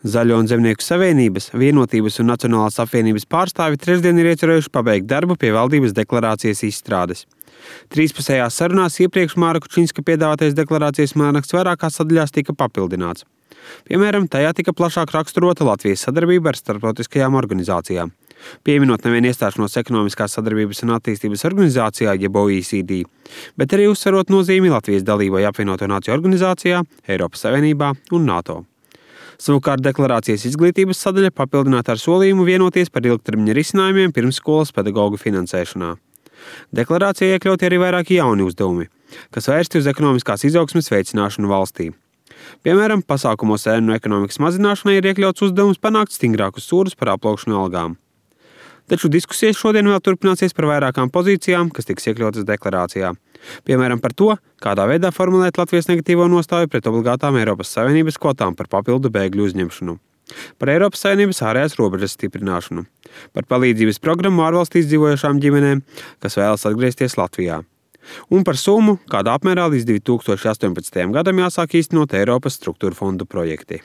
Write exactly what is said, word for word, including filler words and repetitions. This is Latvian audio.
Zaļo un Zemnieku savienības, Vienotības un Nacionālās apvienības pārstāvi trešdien ir iecerējuši pabeigt darbu pie valdības deklarācijas izstrādes. Trīspusējās sarunās iepriekš Māra Kučinska piedāvātais deklarācijas mēraksts vairākās sadaļās tika papildināts. Piemēram, tajā tika plašāk raksturota Latvijas sadarbība ar starptautiskajām organizācijām. Pieminot nevien iestāšanos ekonomiskās sadarbības un attīstības organizācijā, jeb O E C D, bet arī uzsverot nozīmi Latvijas dalībai apvienoto nāciju organizācijā, Eiropas Savienībā un NATO. Savukārt deklarācijas izglītības sadaļa papildināta ar solījumu vienoties par ilgtermiņa risinājumiem pirmsskolas pedagoģu finansēšanā. Deklarācijā iekļauti arī vairāki jauni uzdevumi, kas vērsti uz ekonomiskās izaugsmes veicināšanu valstī. Piemēram, pasākumos ēnu ekonomikas mazināšanai ir iekļauts uzdevums panākt stingrākus sodus par aplaukšanu algām. Taču diskusijas šodien vēl turpināsies par vairākām pozīcijām, kas tiks iekļautas deklarācijā. Piemēram, par to, kādā veidā formulēt Latvijas negatīvo nostāju pret obligātām Eiropas Savienības kvotām par papildu bēgļu uzņemšanu, par Eiropas Savienības ārējās robežas stiprināšanu, par palīdzības programmu ārvalstīs dzīvojošām ģimenēm, kas vēlas atgriezties Latvijā, un par summu, kādā apmērā līdz divi tūkstoši astoņpadsmitajam gadam jāsāk īstenot Eiropas struktūra fondu projekti.